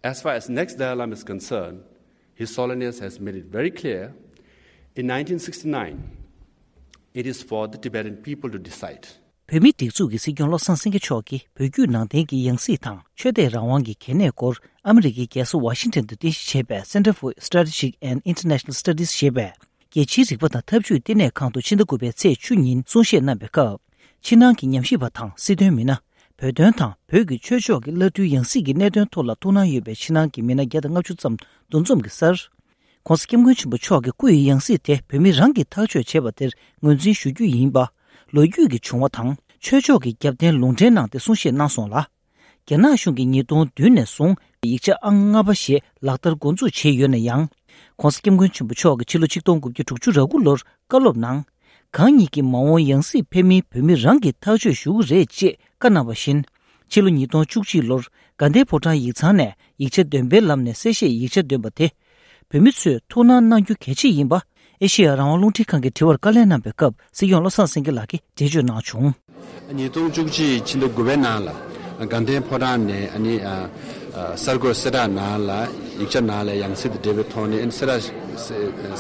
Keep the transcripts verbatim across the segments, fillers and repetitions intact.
As far as next Dalai Lama is concerned, His Holiness has made it very clear, in nineteen sixty-nine, it is for the Tibetan people to decide. བོད་མིའི་སྒྲིག་འཛུགས་ཀྱི་སྲིད་སྐྱོང་བློ་བཟང་སེང་གེ་མཆོག་གིས་བོད་བརྒྱུད་ནང་བསྟན་གྱི་ཡང་སྲིད་དང་ཆོས་དད་རང་དབང་གི་གལ་གནད་སྐོར་ཨ་མི་རི་ཀའི་རྒྱལ་ས་ཝ་ཤིང་ཊོན་དུ་རྟེན་གཞི་བྱས་པའི་Center for Strategic and International Studies ཞེས་པའི་རྒྱལ་སྤྱིའི་རིག་པ་དང་འཐབ་ཇུས་ལྟེ་གནས་ཁང་དུ་ཕྱི་ཟླ་དགུ་པའི་ཚེས་བཅུ་ཉིན་གསུང་བཤད་གནང་བའི་སྐབས། ཕྱི་ནང་གི་ཉམས་ཞིབ་པ་དང་སྲིད་དོན་མི་སྣ། བོད་དོན་དང་བོད་ཀྱི་ཆོས་ཕྱོགས་ཀྱི་བླ་སྤྲུལ་ཡང་སྲིད་ཀྱི་གནད་དོན་ཐོག་ལ་ཐུགས་སྣང་ཡོད་པའི་ཕྱི་ནང་གི་མི་སྣ་བརྒྱ་དང་ལྔ་བཅུ་ཙམ་འདུ་འཛོམས་ཀྱི་སར། ྋགོང་ས་ྋསྐྱབས་མགོན་ཆེན་པོ་མཆོག་གི་སྐུ་ཡི་ཡང་སྲིད་དེ་བོད་མི་རང་གིས་ཐག་གཅོད་བྱས་པ་དེར་ངོས་འཛིན་ཞུ་རྒྱུ་ཡིན་པ། ལོ་རྒྱུས་ཀྱི་བྱུང་བ་དང་ཆོས་ཕྱོགས་ཀྱི་རྒྱབ་རྟེན་ལུང་འདྲེན་གནང་སྟེ་གསུང་བཤད་གནང་སོང་ལ། རྒྱ་ནག་གཞུང་གིས་ཉིས་སྟོང་བདུན་ནས་བཟུང་ཡིག་ཆ་ཨང་ལྔ་པ་ཞེས་ལག་བསྟར་འགོ་འཛུགས་བྱས་ཡོད་ན་ཡང་། ྋགོང་ས་ྋསྐྱབས་མགོན་ཆེན་པོ་མཆོག་གིས་ཕྱི་ལོ་ཆིག་སྟོང་དགུ་བརྒྱ་དྲུག་ཅུ་རེ་དགུ་ལོར་བཀའ་སློབ་ནང་། གང་ཉིད་ཀྱི་མ་འོངས་ཡང་སྲིད་ཕེབས་མིན་བོད་མི་རང་གིས་ཐག་གཅོད་ཞུ་གི་རེད་ཅེས་བཀའ་གནང་བ་བཞིན། ཕྱི་ལོ་ཉིས་སྟོང་བཅུ་གཅིག་ལོར་དགའ་ལྡན་ཕོ་བྲང་ཡིག་ཚང་ནས་ཡིག་ཆ་འདོན་པའི་ལམ་ནས་གསལ་བཤད་ཡིག་ཆ་འདོན་པ་དེ། བོད་མི་ཚོས་ཐུགས་སྣང་གནང་རྒྱུ་གལ་ཆེ་ཡིན་པ། ཨེ་ཤེ་ཡ་རང་དབང་རླུང་འཕྲིན་ཁང་གི་དྲི་བར་བཀའ་ལན་གནང་པའི་སྐབས་སྲིད་སྐྱོང་བློ་བཟང་སེང་གེ་ལགས་ཀྱིས་འགྲེལ་བརྗོད་གནང་བྱུང་། ཉིས་སྟོང་བཅུ་གཅིག་ཕྱི་ཟླ་དགུ་པའི་ནང་ལ་དགའ་ལྡན་ཕོ་བྲང་ནས་ཨ་ནི་ཨ་ཨ་གསར་འགོད་གསལ་བསྒྲགས་ནང་ལ་ཡིག་ཆ་ནང་ལ་ཡང་སྲིད་དང་འབྲེལ་བའི་ཐོག་ནས་ཨ་ནི་གསལ་བསྒྲགས་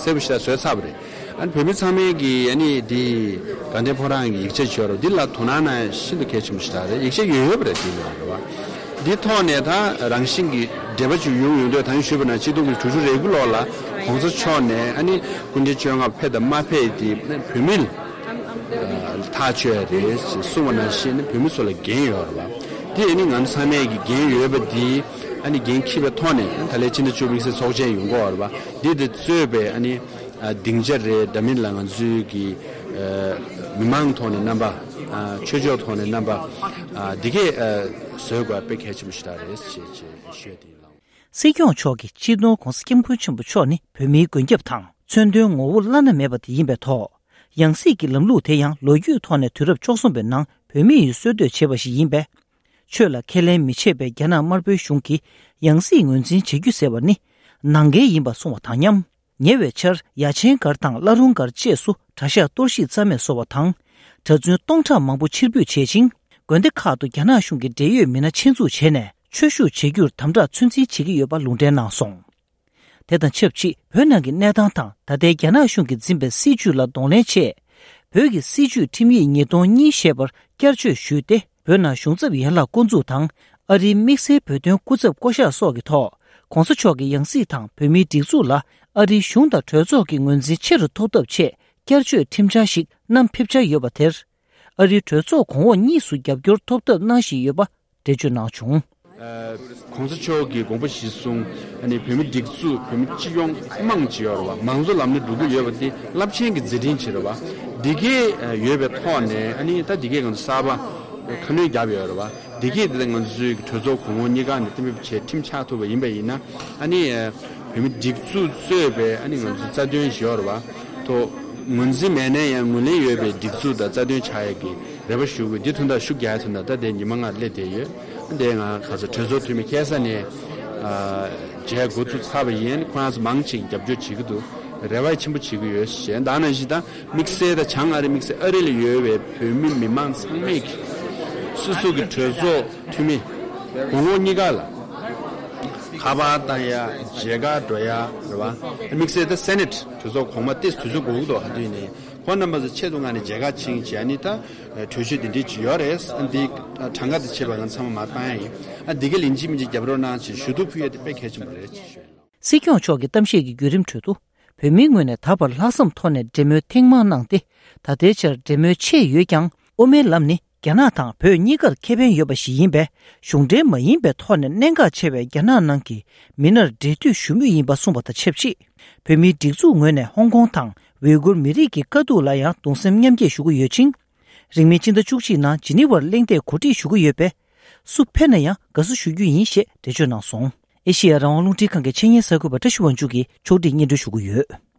གསལ་པོ་ཞེ་དྲག་བཟོས་ཚར་བ་རེད། ཨ་ནི་བོད་མི་ཚང་མས་ཀྱིས་ཨ་ནི་འདི་དགའ་ལྡན་ཕོ་བྲང་གི་ཡིག་ཆ་བརྗོད་རོགས་འདི་ལ་དོ་སྣང་གནང་ཤིན་ཏུ་གལ་ཆེན་པོ་ཞིག་རེད། ཡིག་ཆ་ཡོད་ཡོད་པ་རེད། འདི་ལ་རེད་བ། འདི་ཐོག་ནས་ད་རང་བཞིན་གྱི་འབྲེལ་བ་ཅིག་ཡོང་ཡོང་དུས། ད་ངས་ཞུས་པ་ན་ཆིག་སྟོང་དགུ་བརྒྱ་དྲུག་ཅུ་རེ་དགུ་ལོ་ལ་གོང་ས་མཆོག་ནས་ཨ་ནི་སྐུ་ཕྲེང་བཅོ་ལྔ་ཕེབས་དང་མ་ཕེབས་དེ་བོད་མི་ལ་ཐག་ཆོད་རེད་ཅེས་གསུངས་པ་ནང་བཞིན་བོད་མི་ཚོ་ལ་འགན་ཡོད་རེད་བ། དེ་ཨ་ནི་ང་ཚོ་ཚང་མས་ཀྱི་འགན་ཡོད་པ་འདི་ཨ་ནི་འགན་འཁྱེར་བའི་ཐོག་ནས་ད་ལན་ཕྱི་ཟླ་བཅུ་དམིགས་བསལ་ཚོགས་ཆེན་ཡོང་གི་ཡོད་རེད་བ། འདི་དེ་གཙོས་པའི་ཨ་ནི་ཨ་སྡིངས་ཆ་རེད། འདྲ་མིན་ལ་ང་ཚོའི་གི་ཨ་མི་མང་ཐོག་ནས་རྣམ་པ། ཨ་ཆོས་ཕྱོགས་ཐོག་ནས་རྣམ་པ། ཨ་འདི་གས་ཨ་བཟོ་དགོས་དཔེ་གལ་ཆེན་པོ་ཞིག་རེད་ཅེས་ཅེས་ཞུས་ཏེ་ལགས། སྲིད་སྐྱོང་མཆོག་གིས་སྤྱི་ནོར་༧གོང་ས་༧སྐྱབས་མགོན་ཆེན་པོ་མཆོག་ནི་བོད་མིའི་མགོན་སྐྱབས་དང་མཚོན་དོན་ངོ་བོ་བླ་ན་མེད་པ་དེ་ཡིན་པའི་ཐོག་ཡང་སྲིད་ཀྱི་ལམ་ལུགས་དེ་ཡང་ལོ་རྒྱུས་ཐོག་ནས་དུས་རབས་བཅུ་གསུམ་པའི་ནང་བོད་མི་ཡིས་སྲོལ་གཏོད་བྱས་པ་ཞིག་ཡིན་པས། ཆོས་ལ་ཁས་ལེན་མི་བྱེད་པའི་རྒྱ་ནག་དམར་པོའི་གཞུང་གིས་ཡང་སྲིད་ངོས་འཛིན་བྱེད་རྒྱུ་ཟེར་བ་ནི་ནང་འགལ་ཡིན་པ་གསུངས་པ་དང་མཉམ། ཉེ་བའི་ཆར་ཡ་ཆེན་སྒར་དང་བླ་རུང་སྒར་བཅས་སུ་གྲྭ་ཤག་གཏོར་བཤིག་རྩ་མེད་བཟོ་བ་དང་། གྲྭ་བཙུན་སྟོང་ཕྲག་མང་པོ་ཕྱིར་འབུད་བྱེད་ཅིང་། དགོན་སྡེ་ཁག་ཏུ་རྒྱ་ནག་གཞུང་གི་འབྲེལ་ཡོད་མི་སྣ་ཆེད་འཛུགས་བྱས་ནས་ཆོས་ཞུགས་བྱེད་རྒྱུར་དམ་དྲག་ཚོད་འཛིན་བྱེད་ཀྱི་ཡོད་པ་ལུང་འདྲེན་གནང་སོང་། དེ་དང་ཆབས་ཅིག་བོད་ནང་གི་གནས་སྟངས་དང་ད་ལྟའི་རྒྱ་ནག་གཞུང་གིས་འཛིན་པའི་སྲིད་བྱུས་ལ་གདོང་ལེན་ཆེད། བོད་ཀྱི་སྲིད་བྱུས་ཁྲིམས་ཡིག་ཉིས་སྟོང་གཉིས་ཞེས་པར་བསྐྱར་བཅོས་ཞུས་ཏེ། བོད་ནང་གཞུང་ཚབ་ཡན་ལག་བསྐོ་འཛུགས་དང་། ཨ་རིའི་དམིགས་བསལ་བོད་དོན་སྐུ་ཚབ་བསྐོ་གཞག་སོགས་ཀྱི་ཐོག ྋགོང་ས་མཆོག་གི་ཡང་སྲིད་དང་བོད་མིའི་སྒྲིག་འཛུགས་ལ་ཨ་རིའི་གཞུང་དང་གྲོས་ཚོགས་ཀྱི་ངོས་འཛིན་ཆེ་རུ་ཐོབ་ཐབས་ཆེད་བསྐྱར་བཅོས་ཁྲིམས་འཆར་ཞིག་བསྣམས་ཕེབས་འཆར་ཡོད་པ་དེར། ཨ་རིའི་གྲོས་ཚོགས་གོང་འོག་གཉིས་སུ་རྒྱབ་སྐྱོར་ཐོབ་ཐབས་གནང་བཞིན་ཡོད་པ་འགྲེལ་བརྗོད་གནང་བྱུང་། ཨ། ྋགོང་ས་མཆོག་གི་དགོངས་པ་གཞིར་བཟུང་། ཨ་ནི་བོད་མི་སྒྲིག་འཛུགས། བོད་མི་སྤྱི་ཡོངས་དམངས་ཀྱི་ཡོད་རེད་བ། མང་གཙོ་ལམ་ནས་འགྲོ་གི་ཡོད་པ་འདི་རླབས་ཆེན་གྱི་མཛད་འཕྲིན་ཅིག་རེད་བ། འདི་གས་ཡོད་པའི་ཐོག་ནས་ཨ་ནི་ད་འདི་གས་ང་ཚོ་གསར་པ་ཁ་སྣོན་བརྒྱབ་ཡོད་རེད་བ། འདི་གས་འདི་ང་ཚོའི་གྲོས་ཚོགས་གོང་འོག་གཉིས་ཀ་ནས་གཏན་འབེབས་བྱས་ཁྲིམས་ཆགས་ཐུབ་པ་ཡིན་པ་ཡིན་ན། ཨ་ནི་བོད་མི་སྒྲིག་འཛུགས་གཙོས་པའི་ཨ་ནི་ང་ཚོའི་རྩ་དོན་ཞིག་ཡོད་རེད་བ། ཐོག་ངོས་འཛིན་མེད་ན་ཡང་ངོས་ལེན་ཡོད་པའི་སྒྲིག་འཛུགས་དང་རྩ་དོན་ཆགས་ཡས་ཀྱི་རེ་བ་ཞུ་དགོས། འདི་དོན་དག་ཤུགས་རྒྱག་ཡས་དོན་དག་ད་ལྟའི་ཉི་མ་ལྔ་སླེབས་བསྡད་ཡོད། འདི་ང་ག་ཚོད་གྲོས་ཚོགས་འཐུས་མི་ཁ་སང་ནས་ཨ་མཇལ་འགོ་ཚུགས་ཚར་བ་ཡིན། ཁོ་རང་ཚོ་མང་ཆེ་རྒྱབ་སྐྱོར་བྱེད་ཀྱི་འདུག་རེ་བ་ཆེན་པོ་བྱེད་ཀྱི་ཡོད་ཞེས། ད་ནང་བཞིན་ད་དམིགས་བསལ་ད་བྱང་ཨ་རི། དམིགས་བསལ་ཨ་རི་ལ་ཡོད་པའི་བོད་མི་མི་མང་ཚང་མས་ཀྱི་སོ་སོ་གི་གྲོས་ཚོགས་འཐུས་མི་གོང་འོག་གཉིས་ཀ་ལ་ཁ་པར་བཏང་ཡ། མཇལ་ཁ་འགྲོ་ཡ་རེད་བ། དམིགས་བསལ་ད་སེ་ནེ་ཊི་གྲོས་ཚོགས་གོང་མ་ཏོག་ཙམ་དུས་ཚོད་འགོར་གི་འདུག་ཧ་དུས་ནས། ཁོང་རྣམ་པ་ཚོ་ཆེད་དུ་མངགས་ནས་མཇལ་ཁ་ཕྱིན་བྱས། ཨ་ནི་ད་གྲོས་ཆོད་འདི་འདྲས་ཅིག་ཡོད་རེད། ཨ་འདི་གྲངས་ཀ་དང་བཅས་པ་ང་ཚང་མ་མར་བཏང་ཡ་ཡིན། ཨ་འདི་ག་ལན་གཅིག་མིན་གཅིག་རྒྱབ་རོགས་གནང་ཞེས་ཞུ་གཏུག་ཕུལ་ཡ་དེ་དཔེ་གལ་ཆེན་པོ་རེད་ཅེས་ཞུ་ཡ་ལགས། སྲིད་སྐྱོང་མཆོག་གི་གཏམ་བཤད་ཀྱི་བརྒྱུད་རིམ་ཁྲོད་དུ། བོད་མིའི་ངོས་ནས་ད་བར་ལྷག་བསམ་ཐོག་ནས་འབྲེལ་མོལ་ཐེངས་མང་གནང་སྟེ། ད་ལྟའི་ཆར་འབྲེལ་མོལ་ཆད་ཡོད་ཀྱང་། དབུ་མའི་ལམ་ནི་རྒྱ་ནག་དང་བོད་གཉིས་ཀར་ཁེ་ཕན་ཡོད་པ་ཞིག་ཡིན་པས། གཞུང་འབྲེལ་མ་ཡིན་པའི་ཐོག་ནས་གནད་འགག་ཆེ་བའི་རྒྱ་ནག་ནང་གི་མི་སྣར་འབྲེལ་མཐུད་ཞུ་མུས་ཡིན་པ་གསུངས་པ་དང་ཆབས་ཅིག་བོད་མིའི་སྒྲིག་འཛུགས་ངོས་ནས་ཧོང་ཀོང་དང་ཝེ་གུར་མི་རིགས་ཀྱི་དཀའ་སྡུག་ལ་ཡང་གདུང་སེམས་མཉམ་སྐྱེད་ཞུ་གི་ཡོད་ཅིང་། རིང་མིན་སྤྱི་ཟླ་བཅུ་གཅིག་ནང་ཇི་ནི་ཝར་གླེང་སྟེགས་གོ་སྒྲིག་ཞུ་གི་ཡོད་པས། སུ་ཕེབས་ན་ཡང་དགའ་བསུ་ཞུ་རྒྱུ་ཡིན་ཞེས་འགྲེལ་བརྗོད་གནང་སོང་། ཨེ་ཤེ་ཡ་རང་དབང་རླུང་འཕྲིན་ཁང་གི་ཆེད་གཉེར་གསར་འགོད་པ་བཀྲ་ཤིས་དབང་ཕྱུག་གིས་ཕྱོགས་སྒྲིག་སྙན་སྒྲོན་ཞུ་གི་ཡོད།